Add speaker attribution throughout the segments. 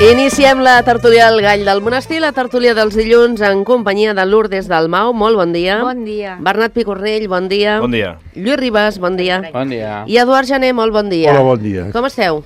Speaker 1: Iniciem la tertúlia del Gall del Monestir, la tertúlia dels dilluns en companyia de Lourdes Dalmau. Molt bon dia.
Speaker 2: Bon dia.
Speaker 1: Bernat Picornell, bon dia.
Speaker 3: Bon dia.
Speaker 1: Lluís Ribas, bon dia.
Speaker 4: Bon dia.
Speaker 1: I Eduard Jané, molt bon dia.
Speaker 5: Hola, bon dia.
Speaker 1: Com esteu?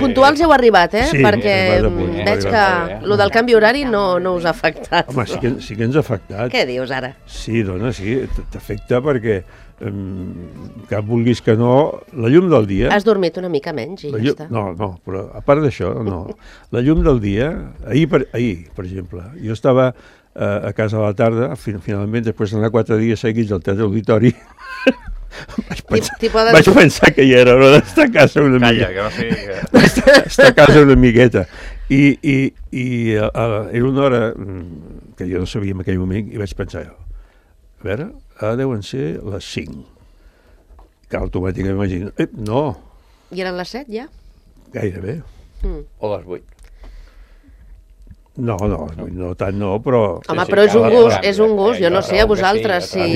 Speaker 1: Puntuals heu arribat,
Speaker 5: Sí,
Speaker 1: perquè
Speaker 5: hem arribat.
Speaker 1: veig que lo del canvi horari no us ha afectat.
Speaker 5: Home, sí que ens ha afectat.
Speaker 1: Què dius ara?
Speaker 5: Sí, dona, sí, t'afecta perquè, que vulguis que no, la llum del dia...
Speaker 1: Has dormit una mica menys i ja està.
Speaker 5: No, però a part d'això, no. La llum del dia, ahir, per exemple, jo estava a casa a la tarda, finalment, després d'anar 4 dies seguits al Teatre Auditori, vaig pensar que ja era hora d'estar a casa una miqueta.
Speaker 3: Calla, que no sigui...
Speaker 5: Estar a casa una miqueta. I era una hora que jo no sabia en aquell moment i vaig pensar, a veure, ara deuen ser les 5. Que automàticament m'imagino, no.
Speaker 1: I eren les 7 ja?
Speaker 5: Gairebé.
Speaker 4: O les 8.
Speaker 5: No, tant no, però...
Speaker 1: Home, però és un gust, jo no sé, a vosaltres, si...
Speaker 5: A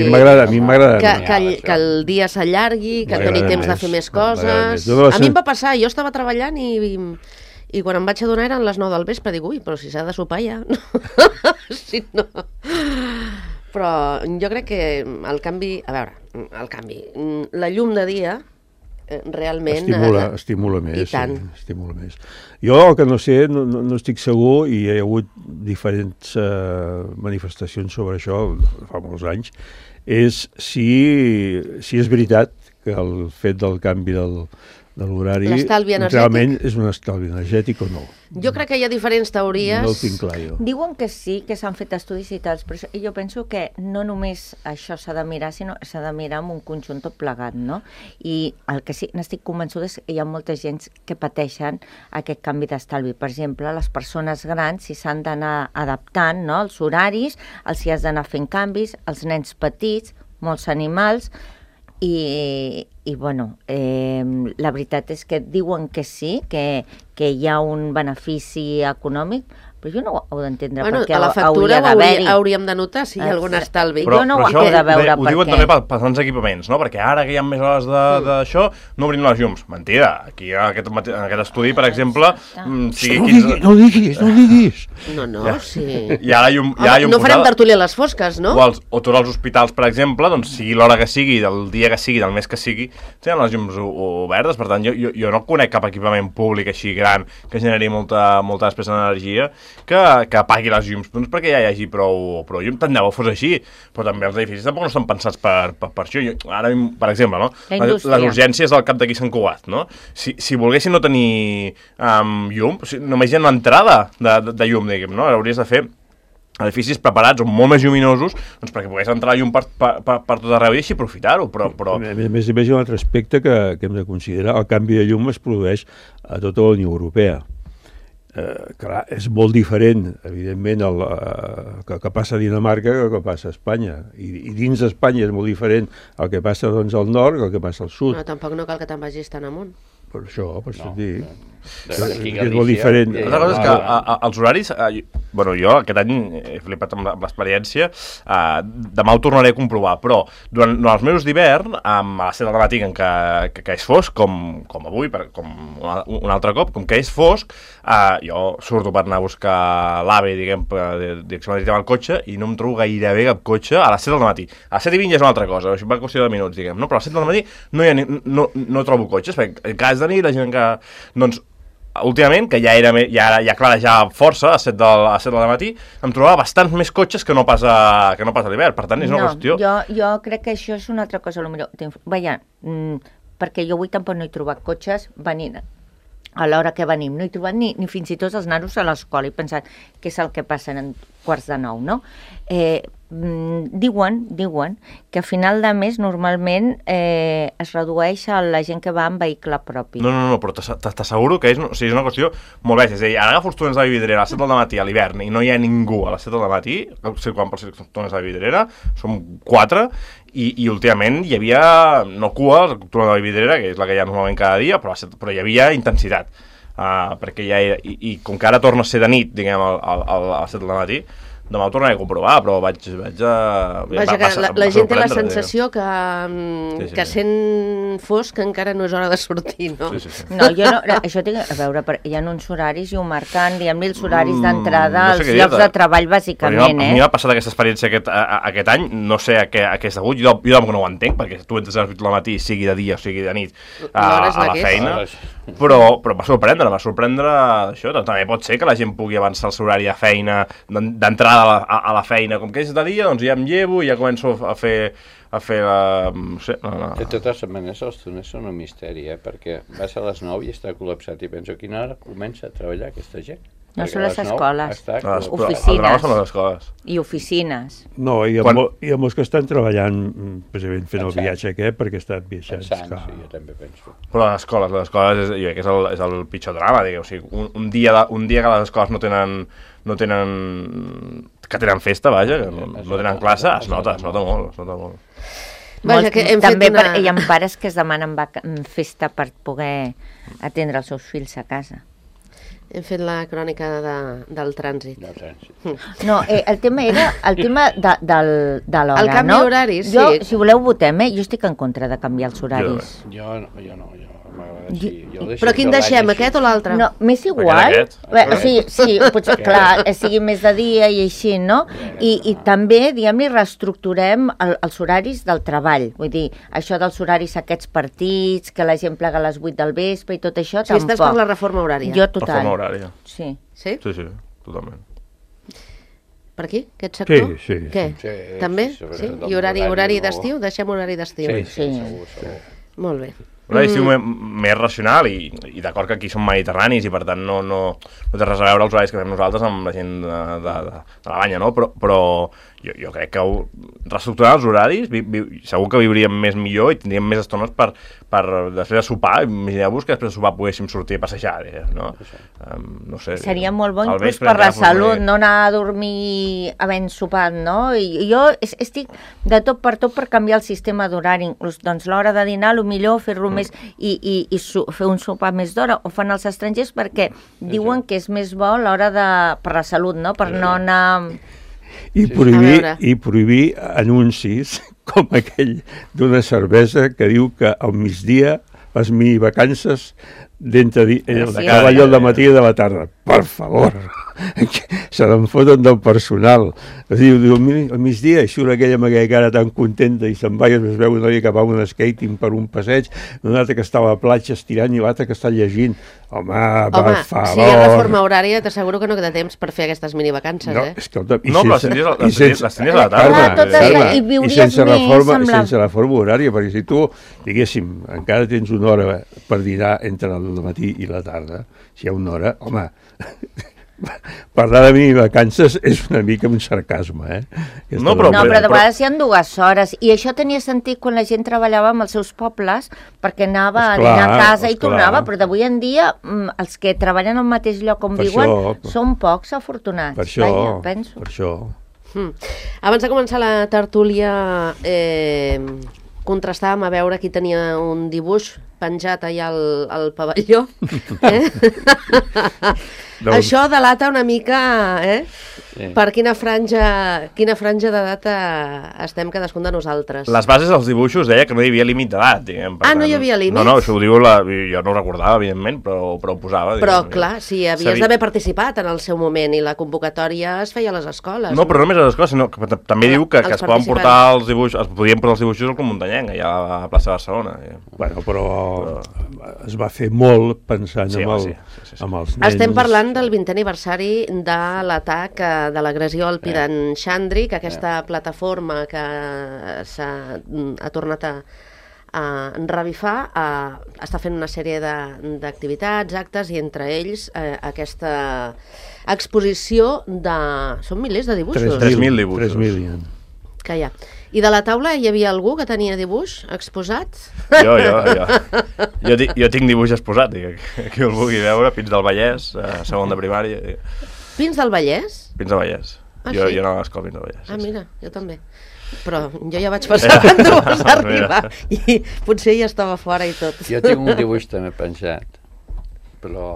Speaker 5: mi m'agrada.
Speaker 1: Que el dia s'allargui, que doni temps de fer més coses... A mi em va passar, jo estava treballant i quan em vaig adonar eren les 9 del vespre, dic, ui, però si s'ha de sopar ja... Si no... Però jo crec que el canvi... A veure, la llum de dia realment...
Speaker 5: Estimula més.
Speaker 1: I tant.
Speaker 5: Sí, estimula més. Jo el que no sé, no estic segur, i hi ha hagut diferents manifestacions sobre això fa molts anys, és si és veritat que el fet del canvi de l'horari realment és un estalvi energètic o no.
Speaker 1: Jo crec que hi ha diferents teories.
Speaker 5: No ho tinc clar, jo.
Speaker 2: Diuen que sí, que s'han fet estudis i tals, però jo penso que no només això s'ha de mirar, sinó s'ha de mirar amb un conjunt tot plegat, no? I el que sí n'estic convençuda és que hi ha molta gent que pateixen aquest canvi d'estalvi. Per exemple, les persones grans, si s'han d'anar adaptant, no?, els horaris, els si has d'anar fent canvis, els nens petits, molts animals... I bueno, la veritat és que diuen que sí, que hi ha un benefici econòmic, però jo no ho heu d'entendre, perquè
Speaker 1: a la factura hauríem de notar si hi ha algun estalvi.
Speaker 2: Jo no ho he de veure,
Speaker 3: ho diuen també pels grans equipaments, no? Perquè ara que hi ha més hores d'això, no obrim les llums. Mentida. Aquí en aquest estudi, per exemple...
Speaker 5: No diguis.
Speaker 1: No, sí.
Speaker 3: I ara
Speaker 1: no farem tertúlia a les fosques, no?
Speaker 3: O tots els hospitals, per exemple, doncs sigui l'hora que sigui, del dia que sigui, del mes que sigui, tenen les llums obertes. Per tant, jo no conec cap equipament públic així gran que generi molta despesa d'energia que apagui les llums, doncs perquè ja hi hagi prou llum. Tant de bo fos així, però també els edificis tampoc no estan pensats per això. Ara, per exemple, no? Les urgències al cap d'aquí Sant Cugat, no? Si volguessin no tenir llum, només hi ha una entrada de llum, diguem, no? Hauries de fer edificis preparats o molt més lluminosos, doncs perquè pogués entrar la llum per tot arreu i així aprofitar-ho, però...
Speaker 5: A més, hi ha un altre aspecte que hem de considerar. El canvi de llum es produeix a tota la Unió Europea. Clar, és molt diferent, evidentment, que passa a Dinamarca que el que passa a Espanya. I dins d'Espanya és molt diferent el que passa doncs, al nord que el que passa al sud.
Speaker 1: No, tampoc no cal que te'n vagis tan amunt.
Speaker 5: Per això t'ho dic.
Speaker 4: És
Speaker 5: molt diferent.
Speaker 3: L'altra cosa és que els horaris... jo aquest any he flipat amb l'experiència, demà ho tornaré a comprovar, però durant els mesos d'hivern, a les 7 del matí que és fosc, com avui, com un altre cop, com que és fosc, jo surto per anar a buscar l'AVE, diguem, direcció marítima al cotxe, i no em trobo gairebé cap cotxe a les 7 del matí. A les 7:20 ja és una altra cosa, això va qüestió de minuts, diguem, no? Però a les 7 del matí no trobo cotxes, perquè cada de nit la gent que... Doncs, últimament, que ja clarejava força a les 7 del matí, em trobava bastants més cotxes que no pas a l'hivern. Per tant, és una qüestió...
Speaker 2: Jo crec que això és una altra cosa, potser. Perquè jo avui tampoc no he trobat cotxes venint a l'hora que venim. No he trobat ni fins i tot els nanos a l'escola. He pensat què és el que passa en 8:45, no? Diuen que a final de mes normalment es redueix a la gent que va en vehicle propi.
Speaker 3: No, però t'asseguro que és una qüestió molt bèstia. És a dir, ara agafo els túnels de la Vidrera a les 7 del matí a l'hivern i no hi ha ningú a les 7 del matí, circulant per els túnels de la Vidrera, som 4, i últimament hi havia, no cua, el túnel de la Vidrera, que és la que hi ha normalment cada dia, però hi havia intensitat. Perquè ja era, i com que ara torna a ser de nit, diguem, a les 7 del matí, demà ho tornaré a comprovar, però vaig
Speaker 1: Vaja, que la gent té la sensació que sent fosc encara no és hora de sortir, no?
Speaker 3: Sí.
Speaker 2: No, jo no, això té a veure, hi ha uns horaris i ho marquen, diguem-li, els horaris d'entrada als llocs de treball, bàsicament,
Speaker 3: A mi m'ha passat aquesta experiència aquest any, no sé a què és degut, jo tampoc no ho entenc, perquè tu entres a les 8 del matí, sigui de dia o sigui de nit, a la feina, però va sorprendre això, també pot ser que la gent pugui avançar el seu horari de feina, d'entrada a la feina, com que és de dia, doncs ja em llevo i ja començo a fer la... no sé, no.
Speaker 4: De totes maneres, els túnels són un misteri, perquè vas a les 9 i està col·lapsat i penso a quina hora comença a treballar aquesta gent.
Speaker 2: No són les escoles,
Speaker 3: oficines. Són les escoles.
Speaker 2: I oficines.
Speaker 5: No, hi ha molts que estan treballant, precisament fent el viatge aquest, perquè estan viatjant.
Speaker 4: Sí, jo també penso.
Speaker 3: Però les escoles, jo crec que és el pitjor drama, digueu. O sigui, un dia que les escoles no tenen festa, vaja, que no tenen classe, es nota molt.
Speaker 2: Vaja, que també hi ha pares que es demanen festa per poder atendre els seus fills a casa.
Speaker 1: Hem fet la crònica del trànsit.
Speaker 2: No, el tema era de l'hora, no?
Speaker 1: El canvi d'horaris, sí.
Speaker 2: Jo, si voleu, votem, jo estic en contra de canviar els horaris.
Speaker 4: Jo no.
Speaker 1: Però quin deixem, aquest o l'altre?
Speaker 2: No, m'és igual. Sí, potser, clar, sigui més de dia i així, no? I també, diguem-li, reestructurem els horaris del treball. Vull dir, això dels horaris aquests partits, que la gent plega a les 8 del vespre i tot això, tampoc.
Speaker 1: Sí, estàs per la reforma horària.
Speaker 2: Jo, total.
Speaker 3: Reforma horària.
Speaker 2: Sí.
Speaker 1: Sí?
Speaker 3: Sí, totalment.
Speaker 1: Per aquí, aquest sector?
Speaker 5: Sí.
Speaker 1: Què? També? Sí? I horari d'estiu? Deixem horari d'estiu.
Speaker 4: Sí, segur.
Speaker 1: Molt bé.
Speaker 3: Horari d'estiu més racional i d'acord que aquí som mediterranis i per tant no té res a veure els horaris que fem nosaltres amb la gent de la banya, no? Però jo crec que reestructurar els horaris segur que viuríem millor i tindríem més estones per després de sopar. Imagineu-vos que després de sopar poguéssim sortir a passejar, no? No sé.
Speaker 2: Seria molt bo inclús per la salut, no anar a dormir havent sopat, no? I jo estic de tot per canviar el sistema d'horari, inclús doncs l'hora de dinar, millor fer-lo més i fer un sopar més d'hora, ho fan els estrangers perquè diuen que és més bo l'hora per la salut, no? Per no anar...
Speaker 5: I prohibir anuncis com aquell d'una cervesa que diu que al migdia les minivacances de cada lloc de matí i de la tarda. Per favor, se n'en foten del personal. Diu, al migdia surt aquella amb aquella cara tan contenta i se'n va i es veu una noia que va amb un skating per un passeig, un altre que està a la platja estirant i l'altre que està llegint. Home, per favor.
Speaker 1: Si hi ha reforma horària, t'asseguro que no queda temps per fer aquestes minivacances,
Speaker 5: no, escolta,
Speaker 3: les tenies a la
Speaker 5: tarda. I sense reforma horària, perquè si tu, diguéssim, encara tens una hora per dinar entre el matí i la tarda, si hi ha una hora, home... Parlar de minivacances és una mica un sarcasme,
Speaker 2: No, però de vegades hi ha 2 hores, i això tenia sentit quan la gent treballava amb els seus pobles, perquè anava a dinar a casa i tornava, però d'avui en dia els que treballen al mateix lloc on viuen són pocs afortunats.
Speaker 5: Per això.
Speaker 1: Abans de començar la tertúlia contrastàvem a veure qui tenia un dibuix penjat allà al pavelló. Això delata una mica per quina franja d'edat estem cadascun de nosaltres.
Speaker 3: Les bases dels dibuixos deia que no hi havia límit d'edat.
Speaker 1: No hi havia límit?
Speaker 3: No, això ho diu jo no ho recordava, evidentment, però ho posava.
Speaker 1: Però, clar, si havies d'haver participat en el seu moment i la convocatòria es feia a les escoles.
Speaker 3: No, però no només a les escoles, sinó que també diu que es poden portar els dibuixos, es podien portar els dibuixos al Club Muntanyenc, allà a la plaça de Barcelona.
Speaker 5: Bueno, però es va fer molt pensant amb els nens.
Speaker 1: Estem parlant del 20è aniversari de l'atac de l'agressió al Pidan Xandri, que aquesta plataforma que ha tornat a revifar està fent una sèrie d'activitats, actes, i entre ells aquesta exposició de... Són milers de dibuixos.
Speaker 3: 3.000 dibuixos.
Speaker 5: 3.000.
Speaker 1: Que hi ha. I de la taula hi havia algú que tenia dibuix exposat?
Speaker 3: Jo tinc dibuix exposat, qui el vulgui veure, Pins del Vallès, segon de primària.
Speaker 1: Pins del Vallès?
Speaker 3: Pins del Vallès. Jo anava a l'escola Pins del Vallès.
Speaker 1: Mira, jo també. Però jo ja vaig passar quan tu vas arribar i potser ja estava fora i tot.
Speaker 4: Jo tinc un dibuix també penjat, però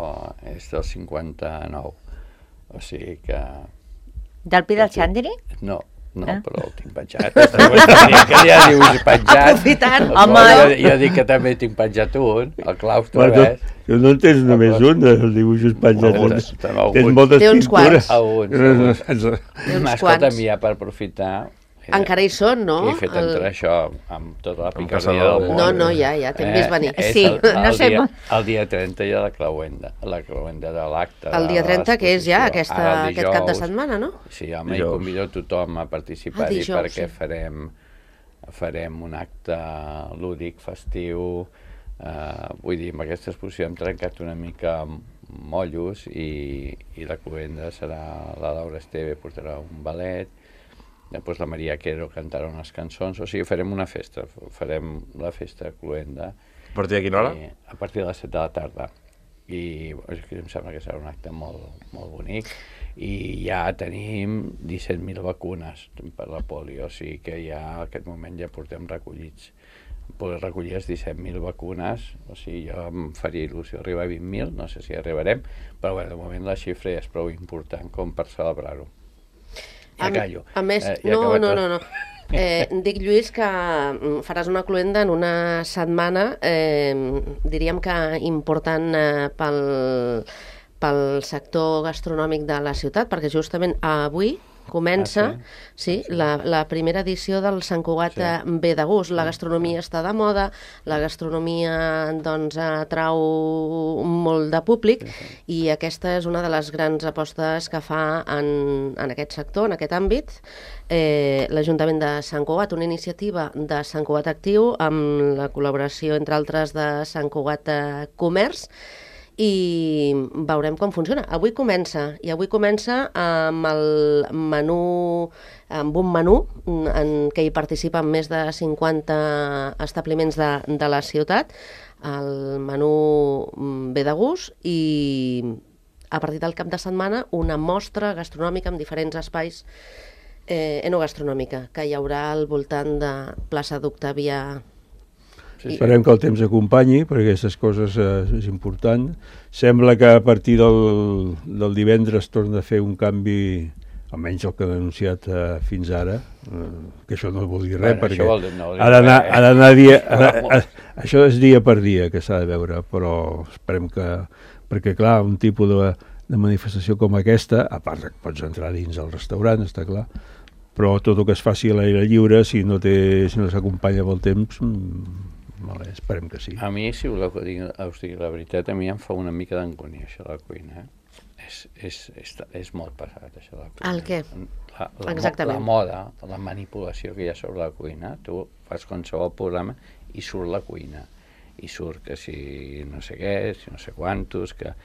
Speaker 4: és del 59, o sigui que
Speaker 2: Del pi del xandri?
Speaker 4: No, però el tinc penjat. Que ja dius penjat.
Speaker 1: Aprofitant.
Speaker 4: Jo dic que també tinc penjat un, el claustre, ves?
Speaker 5: No en tens només un, els dibuixos penjats. Tens moltes pintures.
Speaker 4: Escolta, ja per aprofitar...
Speaker 1: Encara hi són, no?
Speaker 4: Que he fet entrar això amb tota la picardia del món.
Speaker 1: No, ja, t'hem vist venir.
Speaker 2: Sí, no sé...
Speaker 4: El dia 30 hi ha la clauenda de l'acte.
Speaker 1: El dia 30, que és ja aquest cap de setmana, no?
Speaker 4: Sí, home, i convido tothom a participar-hi perquè farem un acte lúdic, festiu. Vull dir, amb aquesta exposició hem trencat una mica mollos i la cluenda serà la Laura Esteve, portarà un ballet. Després la Maria Quero cantarà unes cançons, o sigui, farem una festa, farem la festa cluenda.
Speaker 3: A partir de quina hora?
Speaker 4: A partir de les 7 de la tarda. I em sembla que serà un acte molt bonic. I ja tenim 17.000 vacunes per la polio, o sigui que ja en aquest moment ja portem recollits. Poder recollir les 17.000 vacunes, o sigui, jo em faria il·lusió arribar a 20.000, no sé si arribarem, però bé, de moment la xifra ja és prou important com per celebrar-ho. Ja callo.
Speaker 1: A més, no. Dic, Lluís, que faràs una cluenda en una setmana, diríem que important pel sector gastronòmic de la ciutat, perquè justament avui comença la primera edició del Sant Cugat Ve de Gust. La gastronomia està de moda, la gastronomia atrau molt de públic i aquesta és una de les grans apostes que fa en aquest sector, en aquest àmbit, l'Ajuntament de Sant Cugat, una iniciativa de Sant Cugat Actiu amb la col·laboració, entre altres, de Sant Cugat Comerç, i veurem com funciona. Avui comença amb un menú en què hi participen més de 50 establiments de la ciutat, el menú Ve de Gust, i a partir del cap de setmana una mostra gastronòmica en diferents espais, enogastronòmica, que hi haurà al voltant de plaça d'Octavià.
Speaker 5: Esperem que el temps acompanyi, perquè aquestes coses és important. Sembla que a partir del divendres torna a fer un canvi, almenys el que han anunciat fins ara, que això no vol dir res, perquè ha d'anar dia... Això és dia per dia que s'ha de veure, però esperem que... Perquè, clar, un tipus de manifestació com aquesta, a part que pots entrar dins del restaurant, està clar, però tot el que es faci a l'aire lliure, si no s'acompanya pel temps... esperem que sí.
Speaker 4: A mi, si voleu que us digui la veritat, a mi em fa una mica d'angúnia això de la cuina. És molt pesat, això de la cuina.
Speaker 1: El què? Exactament.
Speaker 4: La moda, la manipulació que hi ha sobre la cuina. Tu fas qualsevol programa i surt la cuina. I surt que si no sé què, si no sé quantos, que...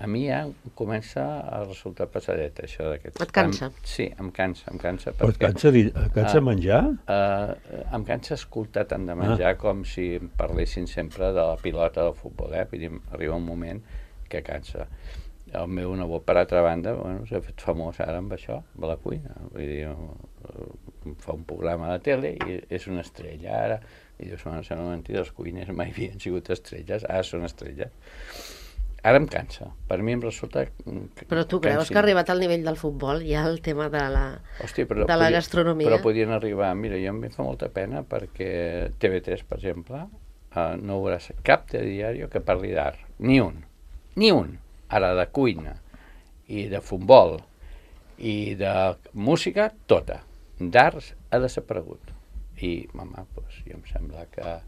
Speaker 4: A mi ja comença a resultar pesadet, això d'aquest...
Speaker 1: Et cansa?
Speaker 4: Sí, em cansa.
Speaker 5: Però et cansa menjar?
Speaker 4: Em cansa escoltar tant de menjar com si em parlessin sempre de la pilota del futbol, Vull dir, arriba un moment que cansa. El meu nebot, per altra banda, s'ha fet famós ara amb això, amb la cuina. Vull dir, fa un programa de tele i és una estrella ara. I dius, sembla mentida, els cuiners mai havien sigut estrelles, ara són estrelles. Ara em cansa. Per mi em resulta...
Speaker 1: Però tu creus que ha arribat al nivell del futbol ja el tema de la gastronomia?
Speaker 4: Però podien arribar... Mira, jo em fa molta pena perquè TV3, per exemple, no veuràs cap diari que parli d'art. Ni un. Ara de cuina i de futbol i de música, tota. D'arts ha desaparegut. I, mama, doncs, jo em sembla que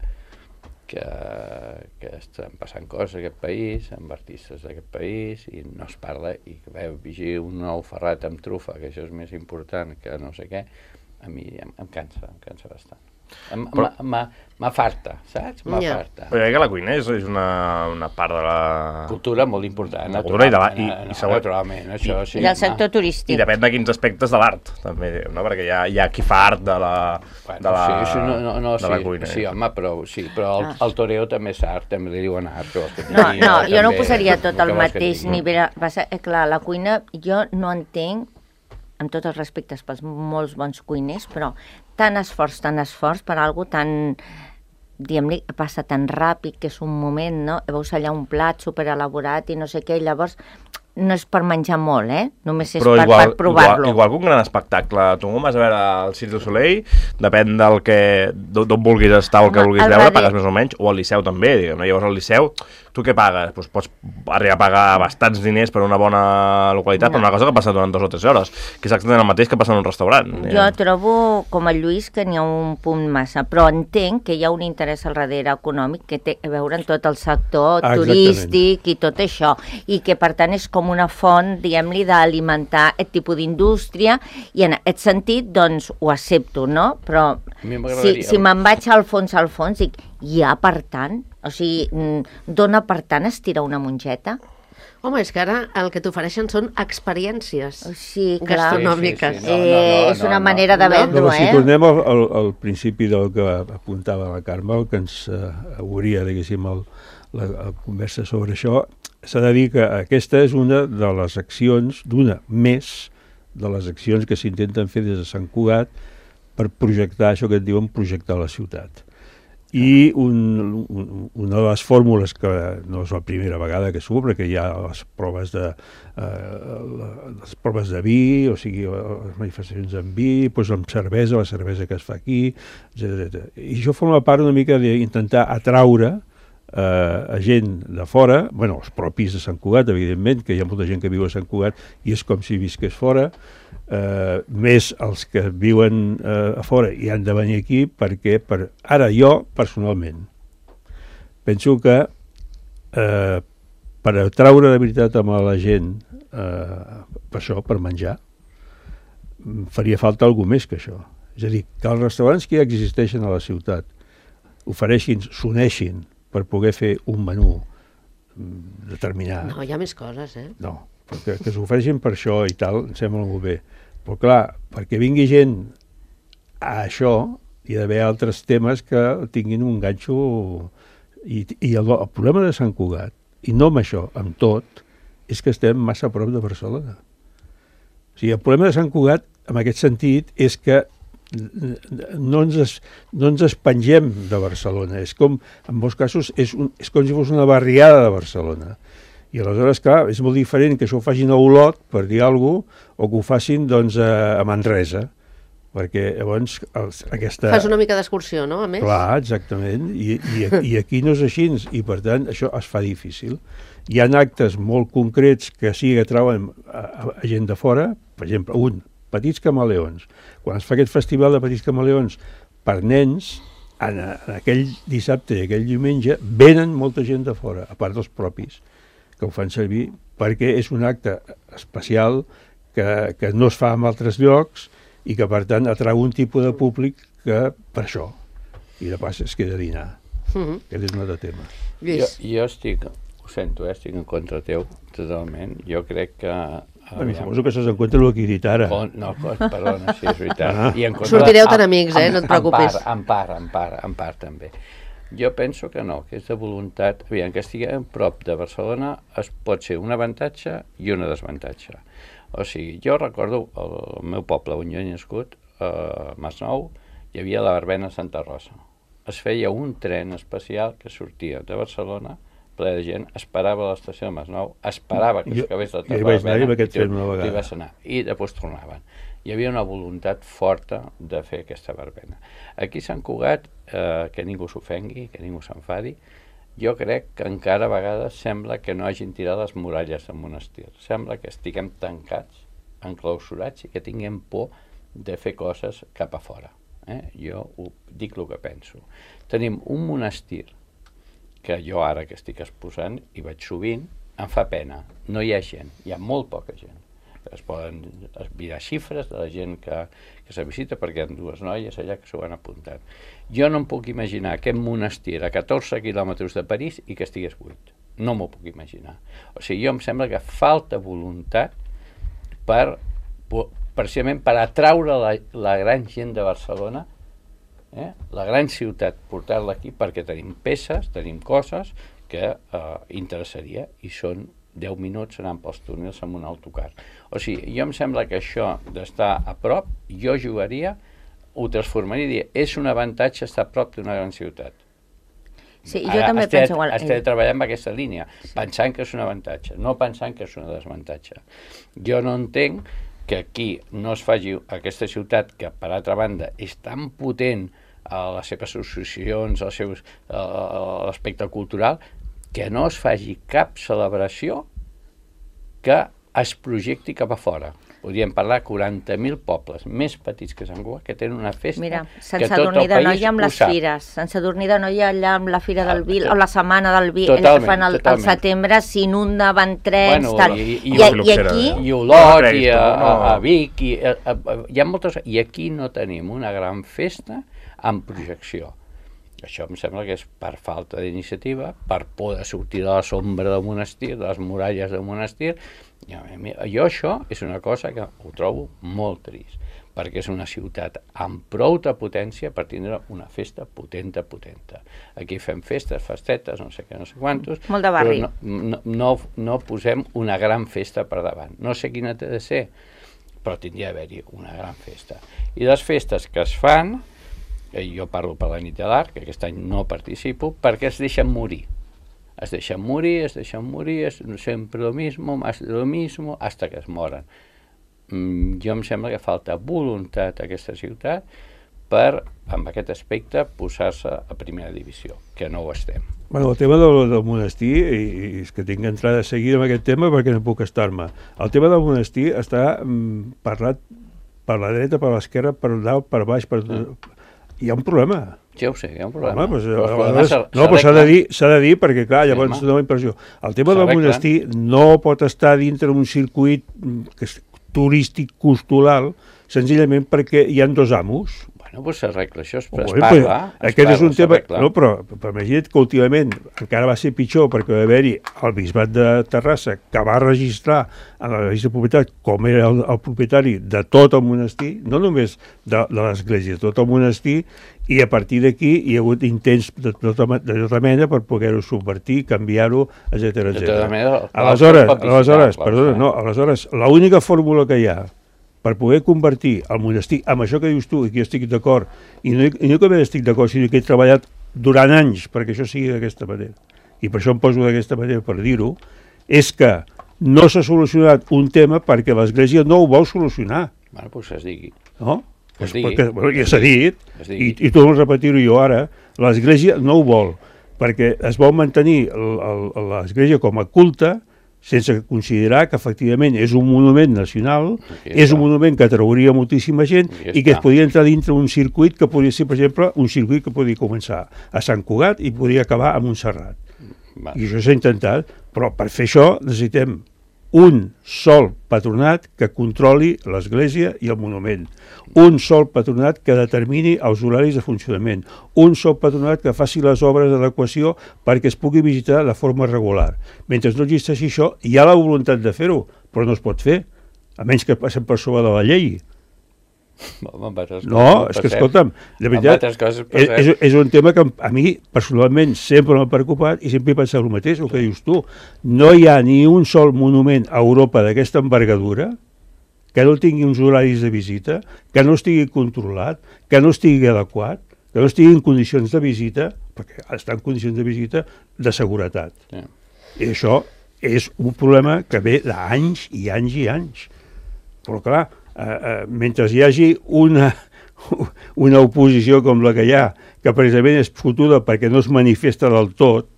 Speaker 4: estan passant coses a aquest país, amb artistes d'aquest país, i no es parla, i que veu vigir un nou Ferrat amb trufa, que això és més important que no sé què, a mi em cansa bastant. M'afarta, saps? M'afarta.
Speaker 3: Però que la cuina és una part de la...
Speaker 4: cultura molt important.
Speaker 3: La cultura
Speaker 4: naturalment, això sí.
Speaker 2: I del sector turístic.
Speaker 3: I depèn de quins aspectes de l'art, també, no? Perquè hi ha qui fa art de la cuina.
Speaker 4: Sí, home, però el toreo també és art, també li diuen art.
Speaker 2: No, jo no ho posaria tot al mateix nivell. Clar, la cuina jo no entenc, amb tots els respectes pels molts bons cuiners, però tant esforç per algo tan, diguem-li, passa tan ràpid, que és un moment, no? Veus allà un plat superelaborat i no sé què, i llavors no és per menjar molt, només és per provar-lo.
Speaker 3: Igual que un gran espectacle. Tu vas a veure el Cirque du Soleil, depèn d'on vulguis estar o el que vulguis veure, pagues més o menys, o al Liceu també, diguem-ne. Llavors al Liceu, tu què pagues? Doncs pots arribar a pagar bastants diners per una bona localitat, per una cosa que passa durant 2 o 3 hores, que és exactament el mateix que passa en un restaurant.
Speaker 2: Jo trobo, com el Lluís, que n'hi ha un punt massa, però entenc que hi ha un interès al darrere econòmic que té a veure amb tot el sector turístic i tot això, i que per tant és com una font, diguem-li, d'alimentar aquest tipus d'indústria, i en aquest sentit, doncs, ho accepto, no? Però si me'n vaig al fons, dic, hi ha per tant? O sigui, dona per tant estirar una mongeta?
Speaker 1: Home, és que ara el que t'ofereixen són experiències
Speaker 2: gastronòmiques. És una manera de vendre-ho,
Speaker 5: Si tornem al principi del que apuntava la Carme, el que ens hauria, diguéssim, la conversa sobre això, s'ha de dir que aquesta és una de les accions, d'una més de les accions que s'intenten fer des de Sant Cugat per projectar això que et diuen projectar la ciutat. I una de les fórmules, que no és la primera vegada que s'obre, que hi ha les proves de vi, o sigui, les manifestacions amb vi, doncs amb cervesa, la cervesa que es fa aquí, etc. I això forma part una mica d'intentar atraure a gent de fora, bueno, els propis de Sant Cugat, evidentment, que hi ha molta gent que viu a Sant Cugat i és com si visqués fora, més els que viuen a fora i han de venir aquí, perquè ara jo, personalment, penso que per atraure de veritat amb la gent per això, per menjar, faria falta alguna més que això. És a dir, que els restaurants que ja existeixen a la ciutat s'uneixin per poder fer un menú determinat.
Speaker 1: No, hi ha més coses,
Speaker 5: No, perquè que s'ofereixin per això i tal, em sembla molt bé. Però clar, perquè vingui gent a això, hi ha d'haver altres temes que tinguin un ganxo. I el problema de Sant Cugat, i no amb això, amb tot, és que estem massa a prop de Barcelona. O sigui, el problema de Sant Cugat, en aquest sentit, és que no ens espengem de Barcelona. És com, en molts casos, és com si fos una barriada de Barcelona. I aleshores, clar, és molt diferent que això ho facin a Olot, per dir alguna cosa, o que ho facin, doncs, a Manresa. Perquè llavors aquesta...
Speaker 1: Fas una mica d'excursió, no, a més?
Speaker 5: Clar, exactament. I aquí no és així, i per tant això es fa difícil. Hi ha actes molt concrets que sí que atrauen a gent de fora, per exemple, Petits Camaleons. Quan es fa aquest festival de Petits Camaleons per nens, en aquell dissabte i aquell diumenge venen molta gent de fora, a part dels propis, que ho fan servir, perquè és un acte especial que no es fa en altres llocs i que, per tant, atrau un tipus de públic que per això. I de pas es queda a dinar. Aquest és un altre tema.
Speaker 4: Jo estic, ho sento, estic en contra teu, totalment. Jo crec que...
Speaker 5: Suposo que s'has en compte el que he dit ara.
Speaker 4: No, perdona, sí, és veritat.
Speaker 1: Sortireu tan amics, no et preocupis.
Speaker 4: En part també. Jo penso que no, que és de voluntat. Aviam, que estiguem prop de Barcelona pot ser un avantatge i un desavantatge. O sigui, jo recordo el meu poble on jo he nascut, a Masnou, hi havia la verbena a Santa Rosa. Es feia un tren especial que sortia de Barcelona, ple de gent, esperava a l'estació de Masnou, esperava que s'acabés la verbena i vas anar, i després tornaven. Hi havia una voluntat forta de fer aquesta verbena. Aquí a Sant Cugat, que ningú s'ofengui, que ningú s'enfadi, jo crec que encara a vegades sembla que no hagin tirat les muralles del monestir. Sembla que estiguem tancats, enclausurats i que tinguem por de fer coses cap a fora. Jo dic el que penso. Tenim un monestir que jo ara que estic exposant, i vaig sovint, em fa pena. No hi ha gent, hi ha molt poca gent. Es poden mirar xifres de la gent que se visita, perquè hi ha 2 noies allà que s'ho han apuntat. Jo no em puc imaginar aquest monestir a 14 quilòmetres de París i que estigués buit. No m'ho puc imaginar. O sigui, jo em sembla que falta voluntat precisament per atraure la gran gent de Barcelona, la gran ciutat, portar-la aquí, perquè tenim peces, tenim coses que interessaria, i són 10 minuts anant pels túnels amb un autocar. O sigui, jo em sembla que això d'estar a prop, jo jugaria, ho transformaria i diria, és un avantatge estar a prop d'una gran ciutat.
Speaker 2: Sí, jo també penso igual.
Speaker 4: Has de treballar amb aquesta línia, pensant que és un avantatge, no pensant que és un desavantatge. Jo no entenc que aquí no es faci aquesta ciutat, que per altra banda és tan potent a les seves associacions, a l'aspecte cultural, que no es faci cap celebració que es projecti cap a fora. Podríem parlar de 40.000 pobles més petits que Sant Cugat que tenen una festa.
Speaker 2: Mira, Sant Sadurní d'Anoia amb les fires, Sant Sadurní d'Anoia allà amb la Fira del Vi, o la setmana del Vi, que fan al setembre, s'inunda, van trens, tal. I aquí...
Speaker 4: I Olot, i a Vic, hi ha moltes... I aquí no tenim una gran festa amb projecció. Això em sembla que és per falta d'iniciativa, per por de sortir de la sombra del monestir, de les muralles del monestir. Jo això és una cosa que ho trobo molt trist, perquè és una ciutat amb prou de potència per tindre una festa potenta. Aquí fem festes, festetes, no sé què, no sé quantos,
Speaker 2: molt de barri.
Speaker 4: Però no posem una gran festa per davant. No sé quina té de ser, però tindria d'haver-hi una gran festa. I les festes que es fan, jo parlo per la nit de l'art, que aquest any no participo, perquè es deixen morir. Es deixen morir, es sempre lo mismo, más de lo mismo, hasta que es moren. Jo em sembla que falta voluntat a aquesta ciutat per, amb aquest aspecte, posar-se a primera divisió, que no ho estem.
Speaker 5: Bueno, el tema del monestir, i és que tinc que entrar de seguida en aquest tema perquè no puc estar-me. El tema del monestir està parlat per la dreta, per l'esquerra, per dalt, per baix, per... Hi ha un problema.
Speaker 4: Ja ho sé, hi ha un problema.
Speaker 5: Però s'ha de dir perquè, clar, llavors dona la impressió. El tema del monestir no pot estar dintre d'un circuit turístic cultural senzillament perquè hi ha dos amos.
Speaker 4: Bueno, doncs s'arregla, això es parla.
Speaker 5: Aquest és un tema... No, però imagina't que últimament encara va ser pitjor perquè va haver-hi el bisbat de Terrassa que va registrar en la revista de propietat com era el propietari de tot el monestir, no només de l'església, de tot el monestir, i a partir d'aquí hi ha hagut intents de tota mena per poder-ho subvertir, canviar-ho, etc. Aleshores, l'única fórmula que hi ha per poder convertir el monestir amb això que dius tu, i que jo estic d'acord, i no que estic d'acord, sinó que he treballat durant anys perquè això sigui d'aquesta manera, i per això em poso d'aquesta manera per dir-ho, és que no s'ha solucionat un tema perquè l'Església no ho vol solucionar.
Speaker 4: Bueno, doncs es digui.
Speaker 5: No? Perquè, ja s'ha dit, i torno a repetir-ho jo ara, l'Església no ho vol, perquè es vol mantenir l'Església com a culte, sense considerar que efectivament és un monument nacional, és un monument que atrauria moltíssima gent i que es podria entrar dintre un circuit que podria ser, per exemple, un circuit que podria començar a Sant Cugat i podria acabar a Montserrat. I això s'ha intentat, però per fer això necessitem un sol patronat que controli l'Església i el monument, un sol patronat que determini els horaris de funcionament, un sol patronat que faci les obres d'adequació perquè es pugui visitar de forma regular. Mentre no existeixi això, hi ha la voluntat de fer-ho, però no es pot fer, a menys que passem per sobre de la llei. No, és que escolta'm, de veritat, és un tema que a mi personalment sempre m'ha preocupat i sempre he pensat el mateix, el que dius tu. No hi ha ni un sol monument a Europa d'aquesta envergadura que no tingui uns horaris de visita, que no estigui controlat, que no estigui adequat, que no estigui en condicions de visita, perquè està en condicions de visita de seguretat. I això és un problema que ve d'anys i anys i anys. Però clar, mentre hi hagi una oposició com la que hi ha, que precisament és fotuda perquè no es manifesta del tot,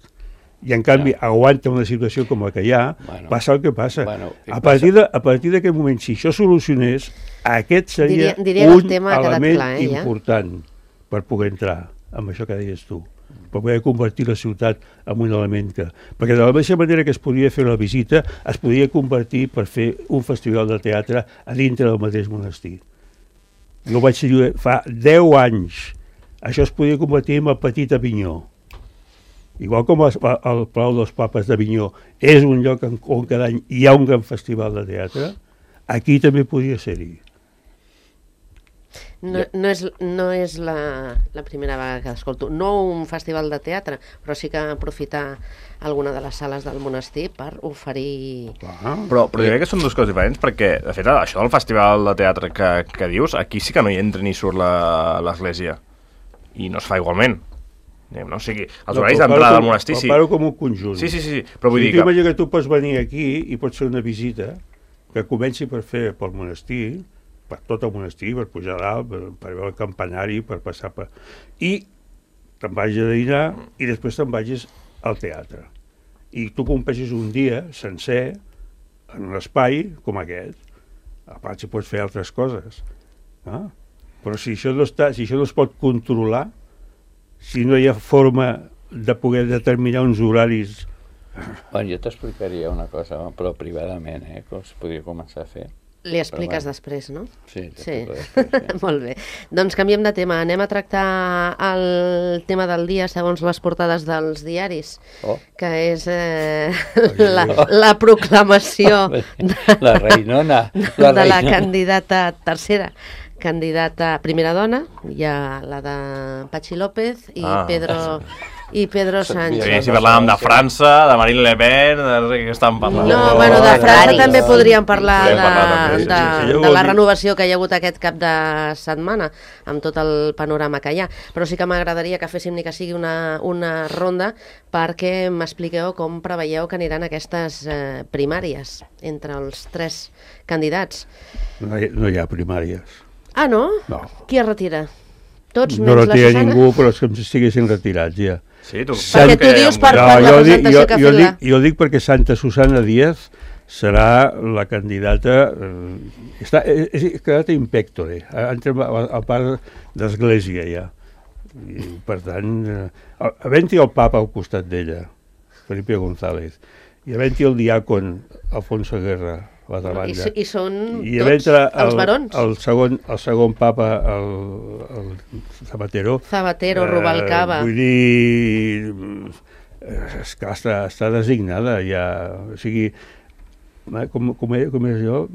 Speaker 5: i en canvi aguanta una situació com la que hi ha, passa el que passa. A partir d'aquest moment, si això solucionés, aquest seria un element important per poder entrar amb això que deies tu, per poder convertir la ciutat en un element que... Perquè de la mateixa manera que es podia fer la visita, es podia convertir per fer un festival de teatre a dintre del mateix monestir. Jo vaig dir fa 10 anys. Això es podia convertir en el Petit Avinyó. Igual com el Palau dels Papes d'Avinyó és un lloc on cada any hi ha un gran festival de teatre, aquí també podia ser-hi.
Speaker 1: No és la primera vegada que escolto. No un festival de teatre, però sí que aprofitar alguna de les sales del monestir per oferir...
Speaker 3: Però jo crec que són dues coses diferents, perquè, de fet, això del festival de teatre que dius, aquí sí que no hi entra ni surt l'església. I no es fa igualment. no? O sigui, els horaris d'entrada del monestir, sí.
Speaker 5: Comparo com un conjunt.
Speaker 3: Sí, però vull dir que...
Speaker 5: T'imagina que tu pots venir aquí i pots fer una visita que comenci per fer pel monestir, per tot el monestir, per pujar dalt, per veure el campanari, per passar per... I te'n vagis a dinar i després te'n vagis al teatre. I tu compleixis un dia sencer en un espai com aquest. A part, si pots fer altres coses. No? Però si això no es pot controlar, si no hi ha forma de poder determinar uns horaris...
Speaker 4: Bueno, jo t'explicaria una cosa, però privadament, que es podria començar a fer.
Speaker 1: Li expliques després, no?
Speaker 4: Sí.
Speaker 1: Molt bé. Doncs canviem de tema. Anem a tractar el tema del dia segons les portades dels diaris, que és la proclamació
Speaker 4: la reinona.
Speaker 1: De la candidata tercera. Candidata primera dona, hi ha la de Patxi López i Pedro Sánchez.
Speaker 3: Si parlàvem de França, de Marine Le Pen, de què estàvem parlant?
Speaker 1: No, bueno, de França també podríem parlar de la renovació que hi ha hagut aquest cap de setmana, amb tot el panorama que hi ha. Però sí que m'agradaria que féssim ni que sigui una ronda perquè m'expliqueu com preveieu que aniran aquestes primàries entre els 3 candidats.
Speaker 5: No hi ha primàries.
Speaker 1: Ah, no?
Speaker 5: No.
Speaker 1: Qui es retira? Tots
Speaker 5: no retira ningú, però és com si estiguessin retirats, ja.
Speaker 3: Sí, tu...
Speaker 1: Perquè tu dius per la presentació que ha fet la...
Speaker 5: Jo dic perquè Santa Susana Díaz serà la candidata... És quedat impectore, entrem a part d'església, ja. I, per tant, havent-hi el papa al costat d'ella, Felipe González, i havent-hi el diàcon Alfonso Guerra, a l'altra banda.
Speaker 1: I són tots els barons?
Speaker 5: El segon papa, el Zapatero,
Speaker 1: Rubalcaba.
Speaker 5: Vull dir, és que està designada ja, o sigui, com és jo,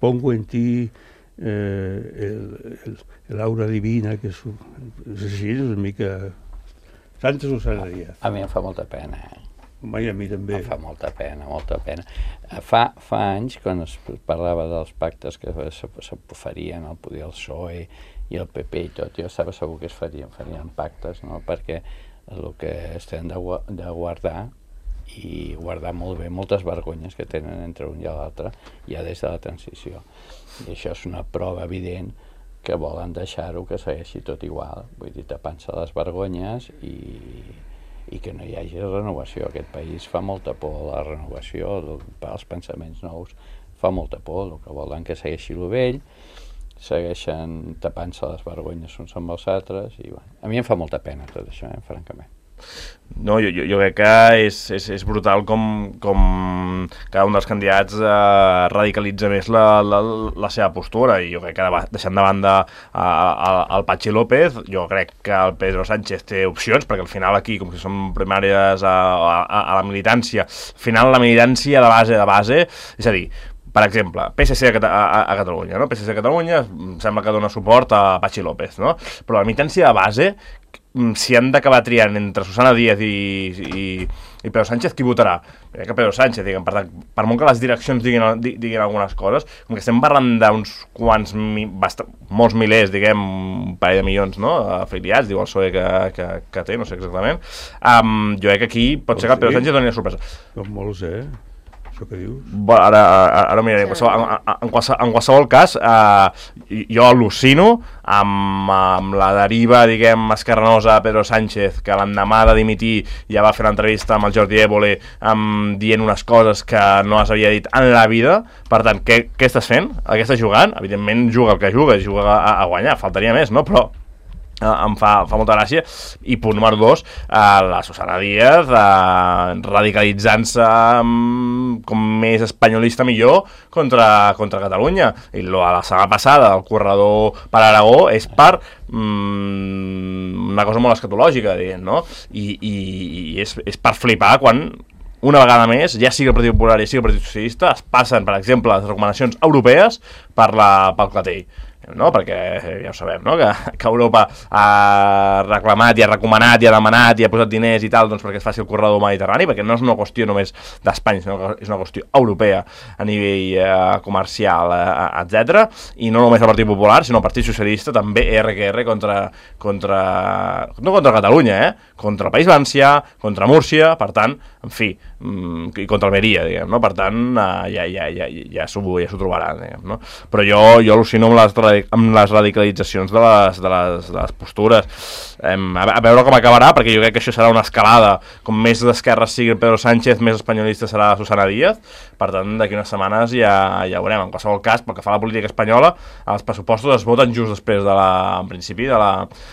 Speaker 5: pongo en ti el aura divina, que és així, és una mica... Santa Susana Díaz.
Speaker 4: A mi em fa molta pena,
Speaker 5: Home, i a mi també.
Speaker 4: Em fa molta pena. Fa anys, quan es parlava dels pactes que s'oferien al poder el PSOE i el PP i tot, jo estava segur que es farien pactes, no? Perquè el que estem de guardar, i guardar molt bé moltes vergonyes que tenen entre un i l'altre ja des de la transició. I això és una prova evident que volen deixar-ho que segueixi tot igual, vull dir, tapant-se les vergonyes i que no hi hagi renovació. Aquest país fa molta por la renovació, els pensaments nous fa molta por, el que volen que segueixi el vell, segueixen tapant-se les vergonyes uns amb els altres, i bueno, a mi em fa molta pena tot això, francament.
Speaker 3: No, jo crec que és brutal com cada un dels candidats radicalitza més la seva postura, i jo crec que deixant de banda el Patxi López, jo crec que el Pedro Sánchez té opcions, perquè al final aquí, com que són primàries a la militància, al final la militància de base, és a dir, per exemple, PSC a Catalunya, no? PSC a Catalunya sembla que dona suport a Patxi López, no? Però la militància de base, si han d'acabar triant entre Susana Díaz i Pedro Sánchez, qui votarà? Que Pedro Sánchez, diguem, per molt que les direccions diguin algunes coses, com que estem parlant d'uns quants, molts milers, diguem, un parell de milions, no?, afiliats, diu el PSOE que té, no sé exactament, jo crec que aquí pot ser que el Pedro Sánchez doni una sorpresa.
Speaker 5: Són molts, que dius?
Speaker 3: Ara miraré. En qualsevol cas, jo al·lucino amb la deriva, diguem, esquerranosa a Pedro Sánchez, que l'endemà de dimitir ja va fer l'entrevista amb el Jordi Évole dient unes coses que no s'havia dit en la vida. Per tant, què estàs fent? Què estàs jugant? Evidentment juga el que juga a guanyar, faltaria més, no? Però em fa molta gràcia. I punt número 2, la Susana Díaz radicalitzant-se com més espanyolista millor contra Catalunya, i la setmana passada el corredor per Aragó és per una cosa molt escatològica, diguem, no? I és per flipar quan una vegada més, ja sigui el Partit Popular i sigui el Partit Socialista, es passen, per exemple, les recomanacions europees pel clatell. no? Perquè ja ho sabem, no? Que Europa ha reclamat i ha recomanat i ha demanat i ha posat diners i tal, doncs perquè es faci el corredor mediterrani, perquè no és una qüestió només d'Espanya, sinó que és una qüestió europea a nivell comercial, etc. I no només el Partit Popular, sinó el Partit Socialista, també RQR no contra Catalunya, contra el País Valencià, contra Múrcia, per tant, en fi, i contra Almeria, diguem, no? Per tant, ja s'ho trobaran, diguem, no? Però jo al·lucino amb les radicalitzacions de les postures. A veure com acabarà, perquè jo crec que això serà una escalada. Com més d'esquerra sigui Pedro Sánchez, més espanyolista serà Susana Díaz. Per tant, d'aquí unes setmanes ja veurem. En qualsevol cas, pel que fa a la política espanyola, els pressupostos es voten just després en principi, de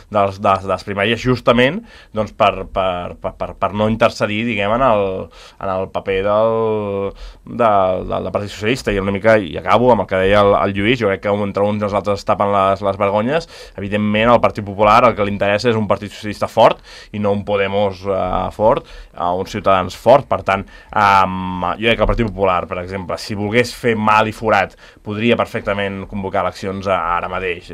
Speaker 3: les primàries, justament doncs, per no intercedir, diguem, en el paper del Partit Socialista. I una mica, i acabo amb el que deia el Lluís, jo crec que entre uns i els altres es tapen les vergonyes. Evidentment, al Partit Popular el que li interessa és un Partit Socialista fort i no un Podemos fort, un Ciutadans fort. Per tant, jo crec que el Partit Popular, per exemple, si volgués fer mal i forat, podria perfectament convocar eleccions ara mateix,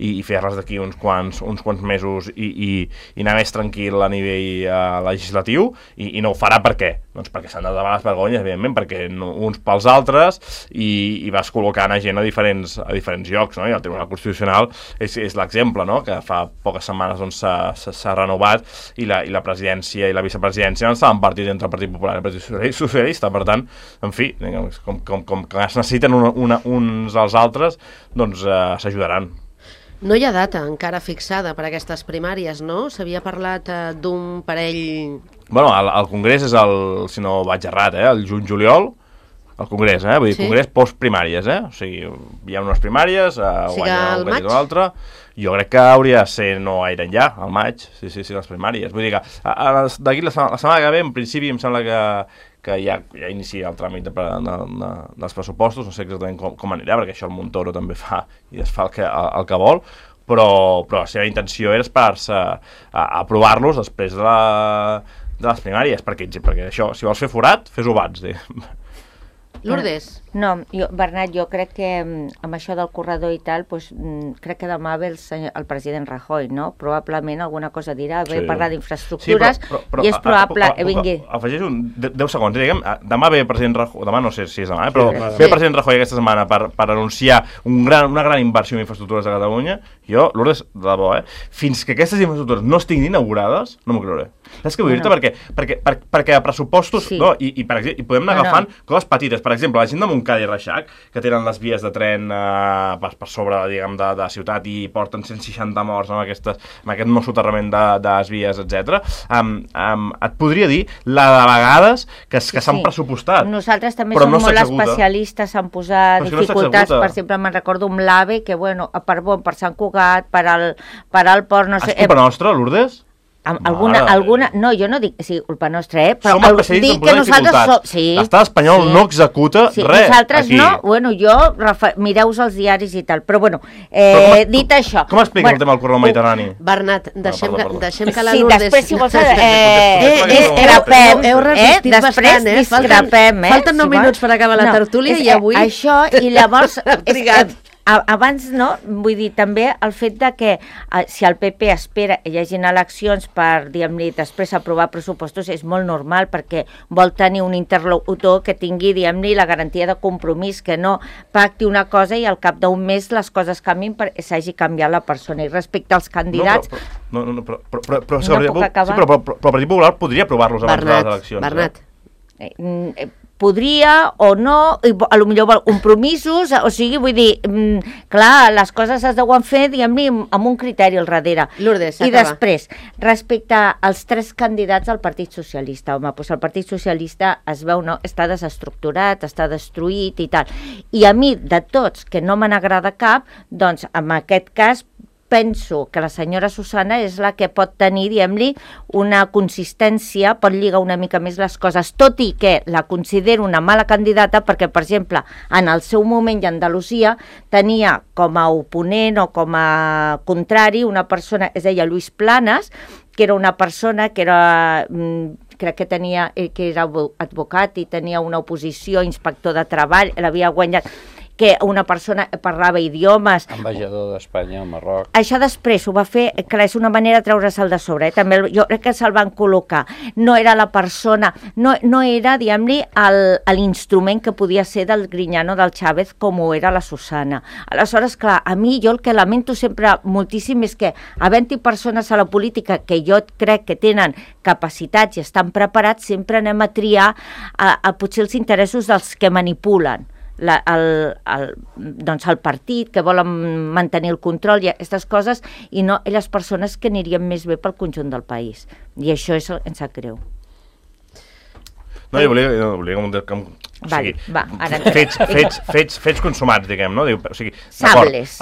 Speaker 3: i fer-les d'aquí uns quants mesos i anar més tranquil a nivell legislatiu, i no ho farà. Per què? Doncs perquè s'han de tapar les vergonyes, evidentment, perquè uns pels altres, i vas col·locant a gent a diferents llocs, no? I el Tribunal Constitucional és l'exemple, no? Que fa poques setmanes doncs, s'ha renovat, i la presidència i la vicepresidència no estaven partits entre el Partit Popular i el Partit Socialista. Per tant, en fi, com que es necessiten uns als altres, doncs s'ajudaran.
Speaker 1: No hi ha data encara fixada per a aquestes primàries, no? S'havia parlat d'un parell...
Speaker 3: Bueno, el Congrés és si no vaig errat, el juny-juliol, el Congrés, vull dir, Congrés postprimàries, o sigui, hi ha unes primàries, guanya un candidat o l'altre. Jo crec que hauria de ser no gaire enllà, al maig, sí, les primàries. Vull dir que d'aquí la setmana que ve, en principi, em sembla que ja inicia el tràmit dels pressupostos, no sé exactament com anirà, perquè això el Montoro també fa i desfà el que vol, però la seva intenció era esperar-se a aprovar-los després de les primàries, perquè això, si vols fer forat, fes-ho abans,
Speaker 1: Lourdes?
Speaker 2: No, Bernat, jo crec que amb això del corredor i tal, crec que demà ve el president Rajoy, no? Probablement alguna cosa dirà, ve parlar d'infraestructures, i és probable...
Speaker 3: Afegeixo 10 segons, diguem, demà ve el president Rajoy, demà no sé si és demà, però ve el president Rajoy aquesta setmana per anunciar una gran inversió en infraestructures de Catalunya. Jo, Lourdes, de debò, fins que aquestes infraestructures no estiguin inaugurades, no m'ho creuré. Saps què vull dir-te? Perquè a pressupostos, no? I podem anar agafant coses petites. Per exemple, la gent de Montcada i Reixac, que tenen les vies de tren per sobre, diguem, de ciutat, i porten 160 morts amb aquest nou soterrament de les vies, etc. Et podria dir la de vegades que s'han pressupostat.
Speaker 2: Nosaltres també som molt especialistes en posar dificultats. Per exemple, me'n recordo amb l'AVE, que, bueno, per Sant Cugat, per al port, no sé...
Speaker 3: És culpa nostra, Lourdes?
Speaker 2: Alguna... No, jo no dic sí, culpa nostra, però
Speaker 3: dic que nosaltres... L'estat espanyol no executa res.
Speaker 2: Nosaltres no, bueno, mireu-vos els diaris i tal, però bueno, dit això...
Speaker 3: Com explica el tema del corredor mediterrani?
Speaker 1: Bernat, deixem que la Lourdes...
Speaker 2: Sí, després, si vols...
Speaker 1: Heu resistit bastant,
Speaker 2: discrepem,
Speaker 1: falten 9 minuts per acabar la tertúlia i avui...
Speaker 2: Això, i llavors... Abans, no? Vull dir, també el fet de que si el PP espera que hi hagin eleccions per, diguem-ne, després aprovar pressupostos és molt normal, perquè vol tenir un interlocutor que tingui, diguem-ne, la garantia de compromís, que no pacti una cosa i al cap d'un mes les coses canvin perquè s'hagi canviat la persona. I respecte als candidats...
Speaker 3: Però el Partit Popular podria aprovar-los abans de les eleccions.
Speaker 1: Bernat.
Speaker 2: Podria o no, a lo millor compromisos, o sigui, vull dir, clar, les coses es deuen fer, diguem-ne, amb un criteri al darrere.
Speaker 1: Lourdes,
Speaker 2: i després, respecte als 3 candidats al Partit Socialista, home, doncs el Partit Socialista es veu, no?, està desestructurat, està destruït i tal. I a mi, de tots, que no me n'agrada cap, doncs, en aquest cas, penso que la senyora Susana és la que pot tenir, diguem-li, una consistència, pot lligar una mica més les coses, tot i que la considero una mala candidata perquè, per exemple, en el seu moment i a Andalusia tenia com a oponent o com a contrari una persona, es deia Lluís Planas, que era una persona que era... crec que era advocat i tenia una oposició, inspector de treball, l'havia guanyat... que una persona parlava idiomes.
Speaker 4: Ambaixador d'Espanya al Marroc.
Speaker 2: Això després ho va fer, clar, és una manera de treure'l de sobre, també jo crec que se'l van col·locar. No era la persona, no era, diguem-li, l'instrument que podia ser del Griñano, del Chávez, com ho era la Susana. Aleshores, clar, a mi jo el que lamento sempre moltíssim és que havent-hi persones a la política que jo crec que tenen capacitats i estan preparats, sempre anem a triar potser els interessos dels que manipulen doncs el partit, que volen mantenir el control i aquestes coses, i no les persones que anirien més bé pel conjunt del país. I això em sap greu.
Speaker 3: No, jo volia fets consumats, diguem, no? O sigui,
Speaker 2: sables.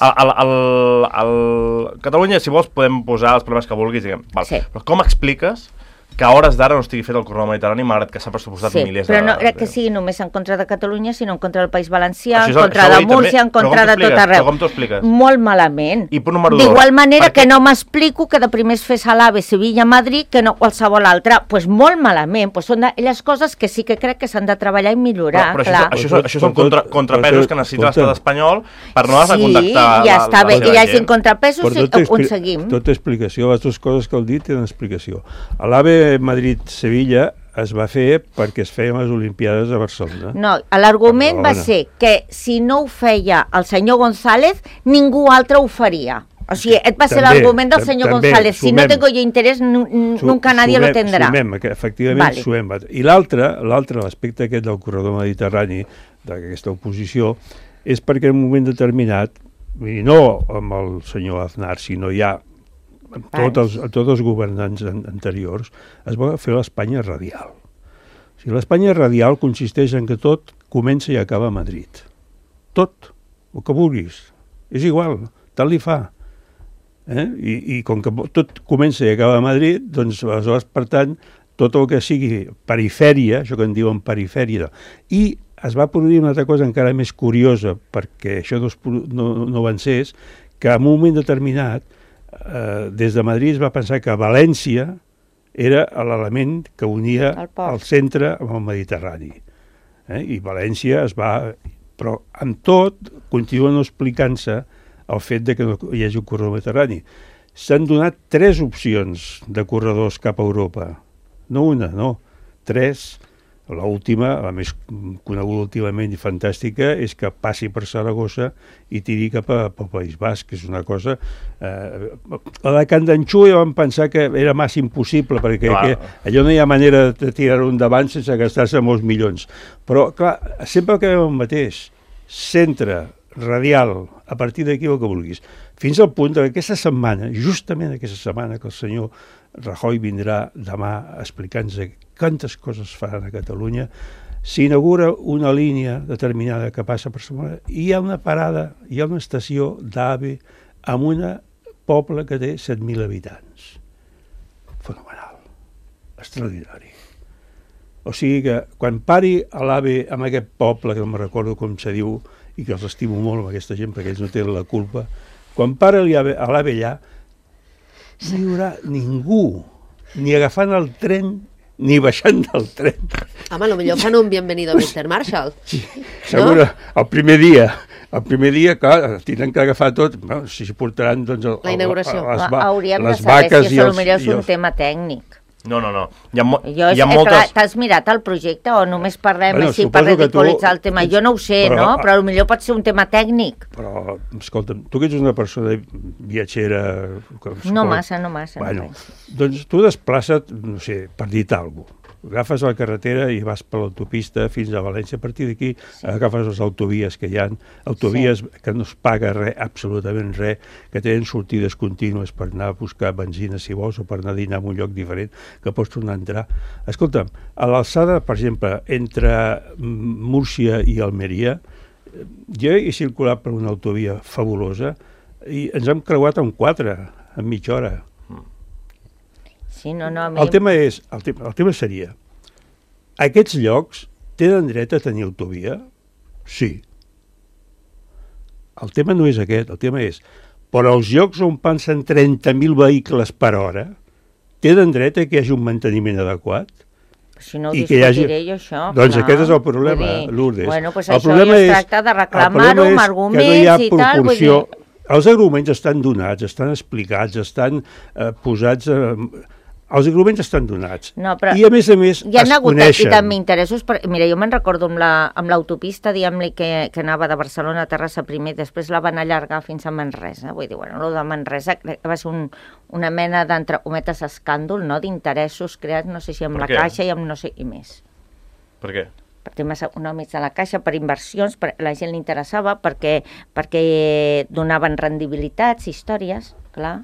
Speaker 3: Catalunya, si vols, podem posar els problemes que vulguis, diguem.
Speaker 2: Sí.
Speaker 3: Però com expliques que a hores d'ara no estigui fet el corredor mediterrani, malgrat que s'ha pressupostat milers de...
Speaker 2: Però no crec que sigui només en contra de Catalunya, sinó en contra del País Valencià, en contra de Múrcia, en contra de tot arreu.
Speaker 3: Però com t'ho expliques?
Speaker 2: Molt malament.
Speaker 3: I punt número 2.
Speaker 2: D'igual manera que no m'explico que de primer es fes a l'AVE Sevilla-Madrid que no qualsevol altra. Doncs molt malament. Són aquelles coses que sí que crec que s'han de treballar i millorar.
Speaker 3: Però això són contrapesos que necessita l'estat espanyol per no has de contactar...
Speaker 2: Sí, ja està bé. I hi hagi contrapesos i on seguim.
Speaker 5: Tota explicació, les dues coses que heu dit tenen explicació. A l'AVE Madrid-Sevilla es va fer perquè es feien les Olimpiades a Barcelona.
Speaker 2: No, l'argument va ser que si no ho feia el senyor González, ningú altre ho faria. O sigui, aquest va ser l'argument del senyor González. Si no tengo yo interés, nunca nadie lo tendrà.
Speaker 5: Efectivament, sumem. I l'altre, l'aspecte aquest del corredor mediterrani, d'aquesta oposició, és perquè en un moment determinat, i no amb el senyor Aznar, sinó ja tots els governants anteriors, es va fer l'Espanya radial. O sigui, l'Espanya radial consisteix en que tot comença i acaba a Madrid. Tot, el que vulguis. És igual, tant li fa. I com que tot comença i acaba a Madrid, doncs aleshores, per tant, tot el que sigui perifèria, això que en diuen perifèria, i es va produir una altra cosa encara més curiosa, perquè això no avancés, que en un moment determinat des de Madrid es va pensar que València era l'element que unia el centre amb el Mediterrani. I València es va... Però amb tot continuen explicant-se el fet de que no hi hagi un corredor mediterrani. S'han donat 3 opcions de corredors cap a Europa. No una, no. 3. L'última, la més coneguda últimament i fantàstica, és que passi per Saragossa i tiri cap al País Basc, que és una cosa... La de Candanxú ja vam pensar que era massa impossible, perquè allò no hi ha manera de tirar-ho endavant sense gastar-se molts milions. Però, clar, sempre acabem el mateix. Centre, radial, a partir d'aquí el que vulguis. Fins al punt que aquesta setmana, justament aquesta setmana, que el senyor Rajoy vindrà demà explicant-nos quantes coses faran a Catalunya, s'inaugura una línia determinada que passa per Barcelona i hi ha una parada, hi ha una estació d'AVE en un poble que té 7.000 habitants. Fenomenal. Extraordinari. O sigui que quan pari a l'AVE en aquest poble, que no me recordo com se diu, i que els estimo molt amb aquesta gent perquè ells no tenen la culpa, quan para a l'AVE allà, no hi haurà ningú, ni agafant el tren, ni baixant del tren.
Speaker 1: Home, potser fan un bienvenido a Mr. Marshall.
Speaker 5: Sí, segur, no? El primer dia, clar, tindran que agafar tot, bueno, si portaran doncs,
Speaker 1: la inauguració.
Speaker 2: Hauríem de saber si això és un tema tècnic.
Speaker 3: No. Hi ha moltes...
Speaker 2: T'has mirat el projecte o només parlem així per ridiculitzar el tema? Jo no ho sé, no? Però potser pot ser un tema tècnic.
Speaker 5: Però, escolta'm, tu que ets una persona viatgera...
Speaker 2: No massa.
Speaker 5: Bueno, doncs tu desplaça't, no sé, per dir-te alguna cosa. Agafes la carretera i vas per l'autopista fins a València. A partir d'aquí agafes les autovies que hi ha, autovies que no es paga res, absolutament res, que tenen sortides contínues per anar a buscar benzina si vols o per anar a dinar en un lloc diferent, que pots tornar a entrar. Escolta'm, a l'alçada, per exemple, entre Múrcia i Almeria, jo he circulat per una autovia fabulosa i ens hem creuat en 4, en mitja hora.
Speaker 2: Sí, no,
Speaker 5: el tema seria, aquests llocs tenen dret a tenir autovia? Sí. El tema no és aquest, el tema és, però els llocs on passen 30.000 vehicles per hora tenen dret a que hi hagi un manteniment adequat?
Speaker 2: Si no ho discutiré jo, això.
Speaker 5: Doncs aquest és el problema, Lourdes.
Speaker 2: Bueno, doncs això ja es tracta de reclamar-ho amb arguments i tal.
Speaker 5: Els arguments estan donats, estan explicats, estan posats... Els arguments estan donats. I a més es coneixen.
Speaker 2: I també interessos. Mira, jo me'n recordo amb l'autopista, diguem-li, que anava de Barcelona a Terrassa primer, després la van allargar fins a Manresa. Vull dir, bueno, el de Manresa va ser una mena d'entre cometes escàndol, no?, d'interessos creats, no sé si amb la Caixa i amb no sé qui més.
Speaker 3: Per què?
Speaker 2: Per temes econòmics de la Caixa, per inversions, la gent li interessava, perquè donaven rendibilitats, històries, clar.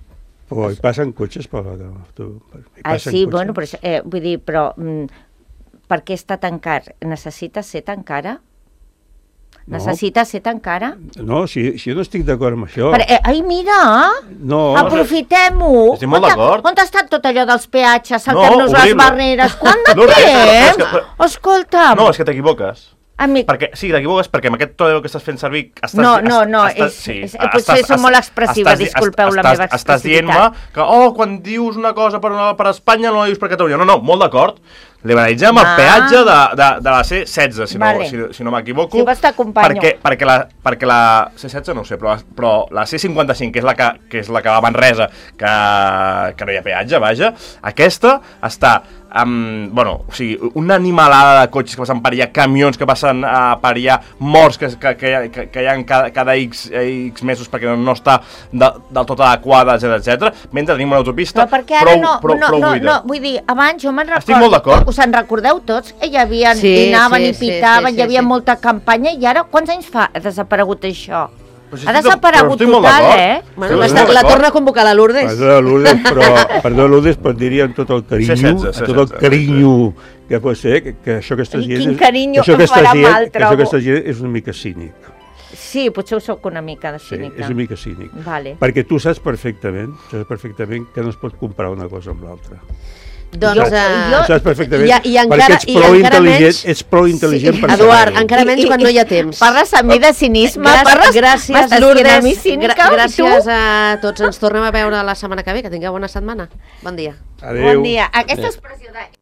Speaker 5: Però hi passen cotxes per la...
Speaker 2: Sí, bueno, vull dir, però per què està tan car? Necessita ser tan cara? Necessita ser tan cara?
Speaker 5: No, si jo no estic d'acord amb això...
Speaker 2: Ai, mira! Aprofitem-ho!
Speaker 3: Estic molt d'acord.
Speaker 2: On ha estat tot allò dels peatges, saltem-nos les barreres? Quant de temps? Escolta'm!
Speaker 3: No, és que t'equivoques. Sí, t'equivoques perquè amb aquest to que estàs fent servir...
Speaker 2: Potser som molt expressiva, disculpeu la meva expressivitat.
Speaker 3: Estàs dient-me que, quan dius una cosa per Espanya no la dius per Catalunya. No, molt d'acord. Liberalitzem el peatge de la C16, si no m'equivoco.
Speaker 2: Si vols t'acompanyo.
Speaker 3: Perquè la C16 no ho sé, però la C55, que és la que va a Manresa, que no hi ha peatge, vaja, aquesta està... o sigui, una animalada de cotxes que passen per allà, camions que passen per allà, morts que hi ha cada X mesos perquè no està del tot adequada, etc. Mentre tenim una autopista prou buida.
Speaker 2: No, vull dir, abans jo me'n recordo...
Speaker 3: Estic molt d'acord.
Speaker 2: Us en recordeu tots? Hi havia, anaven i pitaven, hi havia molta campanya, i ara quants anys fa ha desaparegut això? Ha desaparegut total,
Speaker 1: La torna a convocar la Lourdes.
Speaker 5: Perdó, Lourdes, però diria amb tot el carinyo que pot ser, que això que estàs dient...
Speaker 2: Quin carinyo que farà mal, trobo.
Speaker 5: Això que estàs dient és una mica cínic.
Speaker 2: Sí, potser ho soc una mica de cínica.
Speaker 5: Sí, és una mica cínic.
Speaker 2: Vale.
Speaker 5: Perquè tu saps perfectament que no es pot comparar una cosa amb l'altra.
Speaker 1: Doncs
Speaker 5: ho saps perfectament,
Speaker 1: perquè
Speaker 5: ets prou intel·ligent per
Speaker 1: Eduard, encara menys quan no hi ha temps.
Speaker 2: Parles amb mi de cinisme,
Speaker 1: gràcies Lourdes, gràcies a tots, ens tornem a veure la setmana que ve, que tingueu bona setmana. Bon dia.
Speaker 5: Adéu.
Speaker 2: Bon dia. Aquesta expressió de...